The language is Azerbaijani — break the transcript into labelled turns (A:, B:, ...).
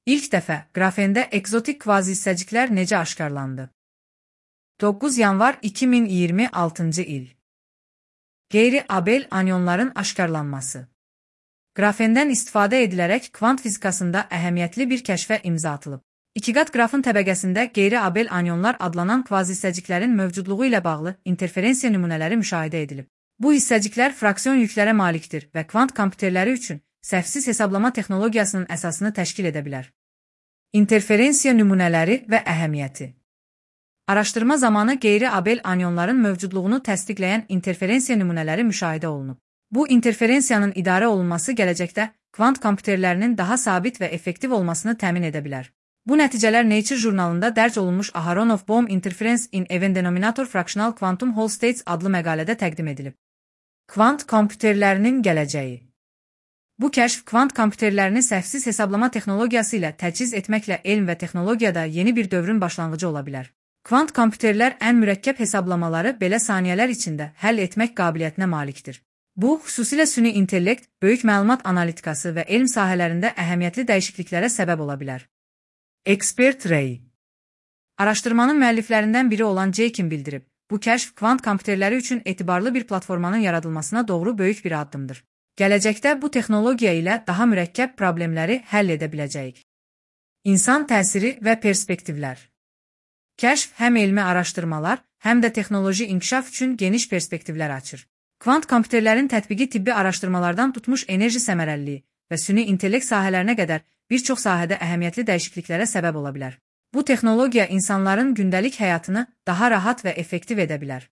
A: İlk dəfə qrafendə egzotik kvazihissəciklər necə aşkarlandı? 9 yanvar 2026-cı il. Qeyri-Abel anyonların aşkarlanması. Qrafendən istifadə edilərək kvant fizikasında əhəmiyyətli bir kəşfə imza atılıb. İkiqat qrafın təbəqəsində qeyri-Abel anyonlar adlanan kvazihissəciklərin mövcudluğu ilə bağlı interferensiya nümunələri müşahidə edilib. Bu hissəciklər fraksion yüklərə malikdir və kvant kompüterləri üçün səhvsiz hesablama texnologiyasının əsasını təşkil edə bilər. İnterferensiya nümunələri və əhəmiyyəti. Araşdırma zamanı qeyri-Abel anyonların mövcudluğunu təsdiqləyən interferensiya nümunələri müşahidə olunub. Bu interferensiyanın idarə olunması gələcəkdə kvant kompüterlərinin daha sabit və effektiv olmasını təmin edə bilər. Bu nəticələr Nature jurnalında dərc olunmuş Aharonov-Bohm Interference in Even Denominator Fractional Quantum Hall States adlı məqalədə təqdim edilib. Kvant kompüterlərinin gələcəyi. Bu kəşf kvant kompüterlərini səhvsiz hesablama texnologiyası ilə təchiz etməklə elm və texnologiyada yeni bir dövrün başlanğıcı ola bilər. Kvant kompüterlər ən mürəkkəb hesablamaları belə saniyələr içində həll etmək qabiliyyətinə malikdir. Bu, xüsusilə süni intellekt, böyük məlumat analitikası və elm sahələrində əhəmiyyətli dəyişikliklərə səbəb ola bilər. Expert Ray. Araşdırmanın müəlliflərindən biri olan Jakin bildirib, bu kəşf kvant kompüterləri üçün etibarlı bir platformanın yaradılmasına doğru böyük bir addımdır. Gələcəkdə bu texnologiya ilə daha mürəkkəb problemləri həll edə biləcəyik. İnsan təsiri və perspektivlər. Kəşf həm elmi araşdırmalar, həm də texnoloji inkişaf üçün geniş perspektivlər açır. Kvant kompüterlərin tətbiqi tibbi araşdırmalardan tutmuş enerji səmərəliliyi və süni intellekt sahələrinə qədər bir çox sahədə əhəmiyyətli dəyişikliklərə səbəb ola bilər. Bu texnologiya insanların gündəlik həyatını daha rahat və effektiv edə bilər.